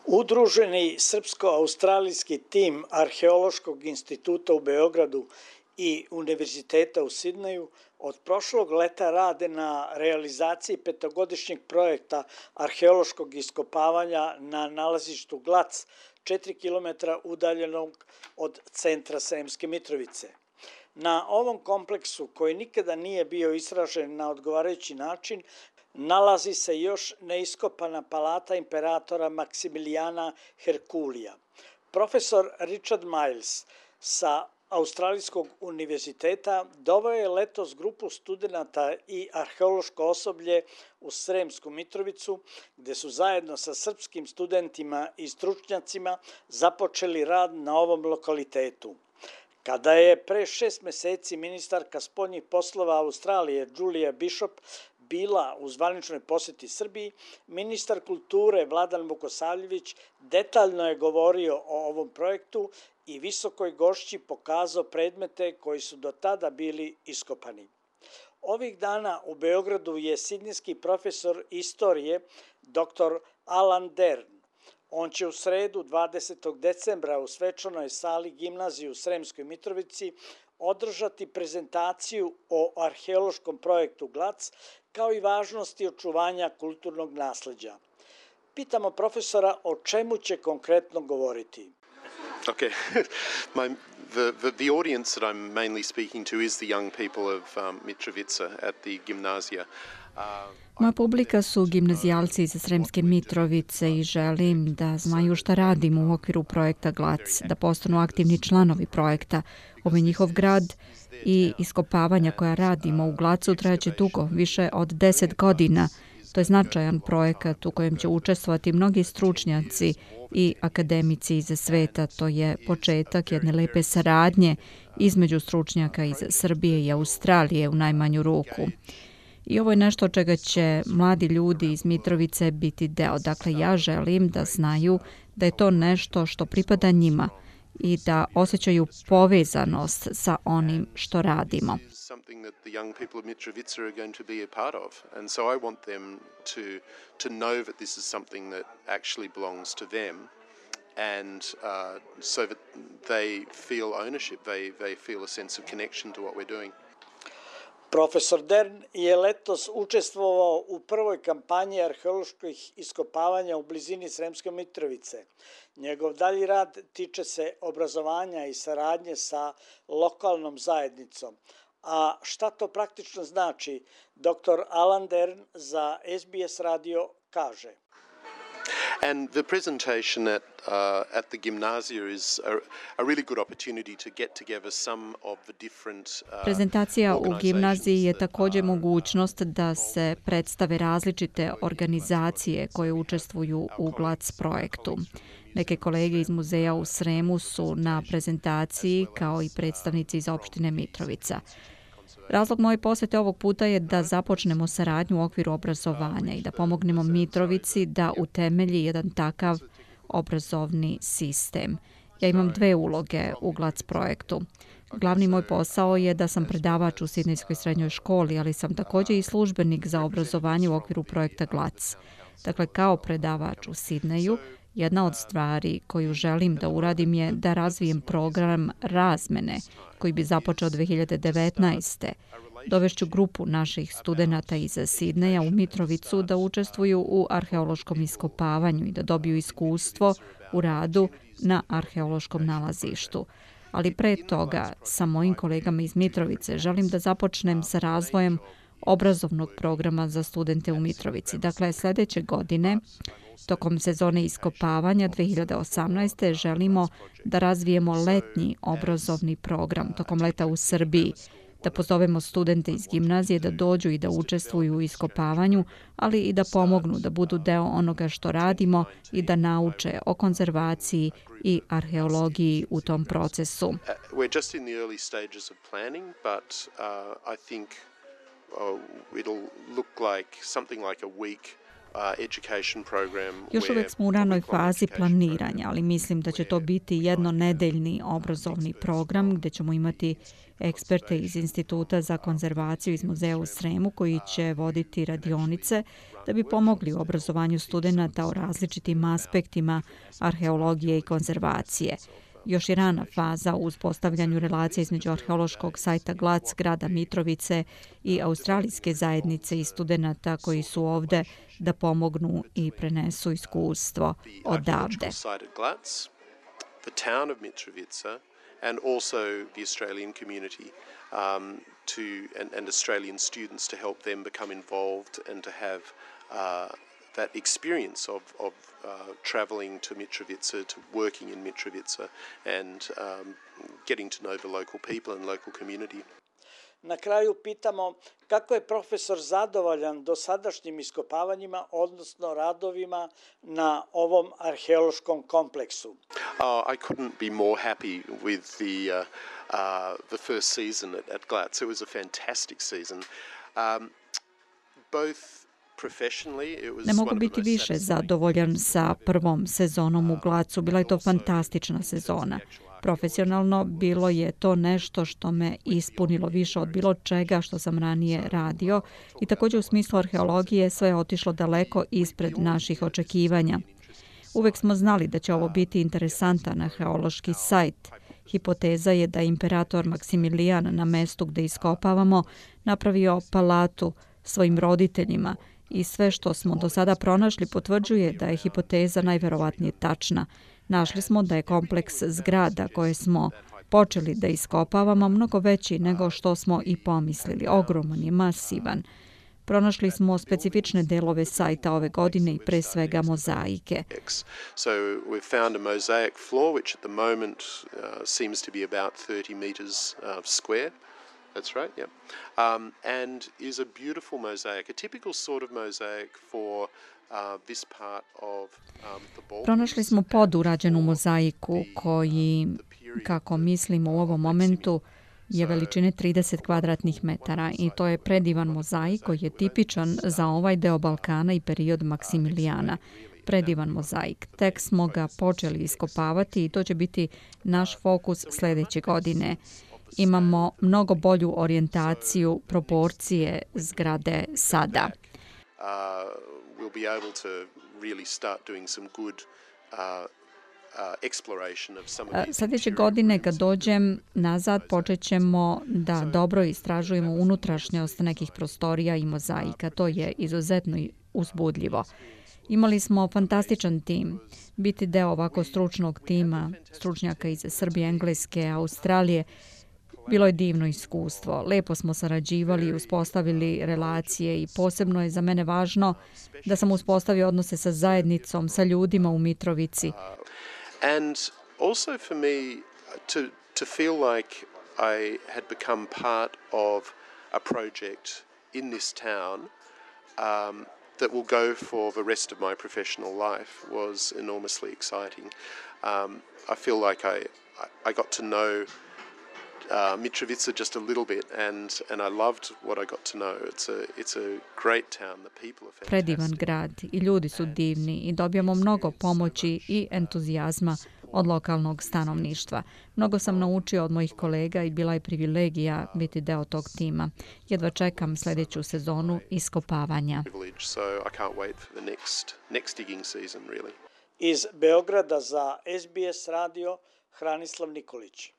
Udruženi srpsko-australijski tim Arheološkog instituta u Beogradu i Univerziteta u Sidneju od prošlog leta rade na realizaciji petogodišnjeg projekta arheološkog iskopavanja na nalazištu Glac, 4 km udaljenog od centra Sremske Mitrovice. Na ovom kompleksu, koji nikada nije bio istražen na odgovarajući način, nalazi se još neiskopana palata imperatora Maksimilijana Herkulija. Profesor Richard Miles sa Australijskog univerziteta doveo je letos grupu studenata i arheološko osoblje u Sremsku Mitrovicu, gde su zajedno sa srpskim studentima i stručnjacima započeli rad na ovom lokalitetu. Kada je pre 6 meseci ministarka spoljnih poslova Australije Julia Bishop bila u zvaničnoj poseti Srbiji, ministar kulture Vladan Vukosavljević detaljno je govorio o ovom projektu i visokoj gošći pokazao predmete koji su do tada bili iskopani. Ovih dana u Beogradu je sidnijski profesor istorije dr. Alan Dern. On će u sredu 20. decembra u svečanoj sali gimnazije u Sremskoj Mitrovici održati prezentaciju o arheološkom projektu Glac, kao i važnosti očuvanja kulturnog nasleđa. Pitamo profesora o čemu će konkretno govoriti. Okay. The audience that I'm mainly speaking to is the young people of Mitrovica at the gymnasia. Moja publika su gimnazijalci iz Sremske Mitrovice i želim da znaju šta radimo u okviru projekta Glac, da postanu aktivni članovi projekta. Ovo je njihov grad i iskopavanja koja radimo u Glacu trajaće dugo, više od 10 godina. To je značajan projekat u kojem će učestvovati mnogi stručnjaci i akademici iz sveta. To je početak jedne lepe saradnje između stručnjaka iz Srbije i Australije u najmanju ruku. I ovo je nešto od čega će mladi ljudi iz Mitrovice biti deo. Dakle, ja želim da znaju da je to nešto što pripada njima i da osjećaju povezanost sa onim što radimo. Something that the young people of Mitrovica are going to be a part of. And so I want them to know that this is something that actually belongs to them, and so that they feel ownership, they feel a sense of connection to what we're doing. Profesor Dern je letos učestvovao u prvoj kampanji arheoloških iskopavanja u blizini Sremske Mitrovice. Njegov dalji rad tiče se obrazovanja i saradnje sa lokalnom zajednicom. A šta to praktično znači, dr. Alan Dern za SBS radio kaže. And the presentation at the gymnasia is a really good opportunity to get together some of the different Prezentacija u gimnaziji je također mogućnost da se predstave različite organizacije koje učestvuju u Glac projektu. Neke kolege iz muzeja u Sremu su na prezentaciji, kao i predstavnici iz opštine Mitrovica. Razlog moje posete ovog puta je da započnemo saradnju u okviru obrazovanja i da pomognemo Mitrovici da utemelji jedan takav obrazovni sistem. Ja imam 2 uloge u Glac projektu. Glavni moj posao je da sam predavač u Sidnejskoj srednjoj školi, ali sam također i službenik za obrazovanje u okviru projekta Glac. Dakle, kao predavač u Sidneju, jedna od stvari koju želim da uradim je da razvijem program razmene koji bi započeo 2019. Dovešću grupu naših studenata iz Sidneja u Mitrovicu da učestvuju u arheološkom iskopavanju i da dobiju iskustvo u radu na arheološkom nalazištu. Ali pre toga, sa mojim kolegama iz Mitrovice, želim da započnem sa razvojem obrazovnog programa za studente u Mitrovici. Dakle, sljedeće godine, tokom sezone iskopavanja 2018. želimo da razvijemo letnji obrazovni program tokom leta u Srbiji, da pozovemo studente iz gimnazije da dođu i da učestvuju u iskopavanju, ali i da pomognu da budu deo onoga što radimo i da nauče o konzervaciji i arheologiji u tom procesu. We're just in the early stages of planning, but I think it'll look like something like a week education program. Još uvijek smo u ranoj fazi planiranja, ali mislim da će to biti jednonedeljni obrazovni program gdje ćemo imati eksperte iz Instituta za konzervaciju iz muzeja u Sremu koji će voditi radionice da bi pomogli u obrazovanju studenata o različitim aspektima arheologije i konzervacije. Još je rana faza u uspostavljanju relacije između arheološkog sajta Glac, grada Mitrovice i australijske zajednice i studenata koji su ovde da pomognu i prenesu iskustvo odavde. And also the Australian community and Australian students to help them become involved and to have that experience of travelling to Mitrovica, to working in Mitrovica and getting to know the local people and local community. Na kraju pitamo kako je profesor zadovoljan dosadašnjim iskopavanjima, odnosno radovima na ovom arheološkom kompleksu. I couldn't be more happy with the first season at Glatz. It was a fantastic season. Both Ne mogu biti više zadovoljan sa prvom sezonom u Glacu. Bila je to fantastična sezona. Profesionalno bilo je to nešto što me ispunilo više od bilo čega što sam ranije radio i također u smislu arheologije sve je otišlo daleko ispred naših očekivanja. Uvek smo znali da će ovo biti interesantan arheološki sajt. Hipoteza je da je imperator Maksimilijan na mestu gde iskopavamo napravio palatu svojim roditeljima i sve što smo do sada pronašli potvrđuje da je hipoteza najverovatnije tačna. Našli smo da je kompleks zgrada koje smo počeli da iskopavamo mnogo veći nego što smo i pomislili. Ogroman je, masivan. Pronašli smo specifične delove sajta ove godine i pre svega mozaike. So we've found a mosaic floor which at the moment seems to be about 30 meters square. That's right, yeah. And is a beautiful mosaic, a typical sort of mosaic for this part of the Balkans. Pronašli smo podurađenu mozaiku koji, kako mislimo u ovom momentu, je veličine 30 kvadratnih metara i to je predivan mozaik koji je tipičan za ovaj deo Balkana i period Maksimilijana. Predivan mozaik. Tek smo ga počeli iskopavati i to će biti naš fokus sljedeće godine. Imamo mnogo bolju orijentaciju, proporcije zgrade sada. Sljedeće godine kad dođem nazad počet ćemo da dobro istražujemo unutrašnjost nekih prostorija i mozaika. To je izuzetno uzbudljivo. Imali smo fantastičan tim. Biti deo ovako stručnog tima, stručnjaka iz Srbije, Engleske, Australije, bilo je divno iskustvo. Lepo smo sarađivali, uspostavili relacije i posebno je za mene važno da sam uspostavio odnose sa zajednicom, sa ljudima u Mitrovici. And also for me to feel like I had become part of a project in this town that will go for the rest of my professional life was enormously exciting. I feel like I got to know Mitrovica just a little bit and I loved what I got to know. It's a great town. The people are fantastic. Predivan grad i ljudi su divni i dobijamo mnogo pomoći i entuzijazma od lokalnog stanovništva. Mnogo sam naučio od mojih kolega i bila je privilegija biti deo tog tima. Jedva čekam sljedeću sezonu iskopavanja. So I can't wait for the next digging season really. Iz Beograda za SBS radio Hranislav Nikolić.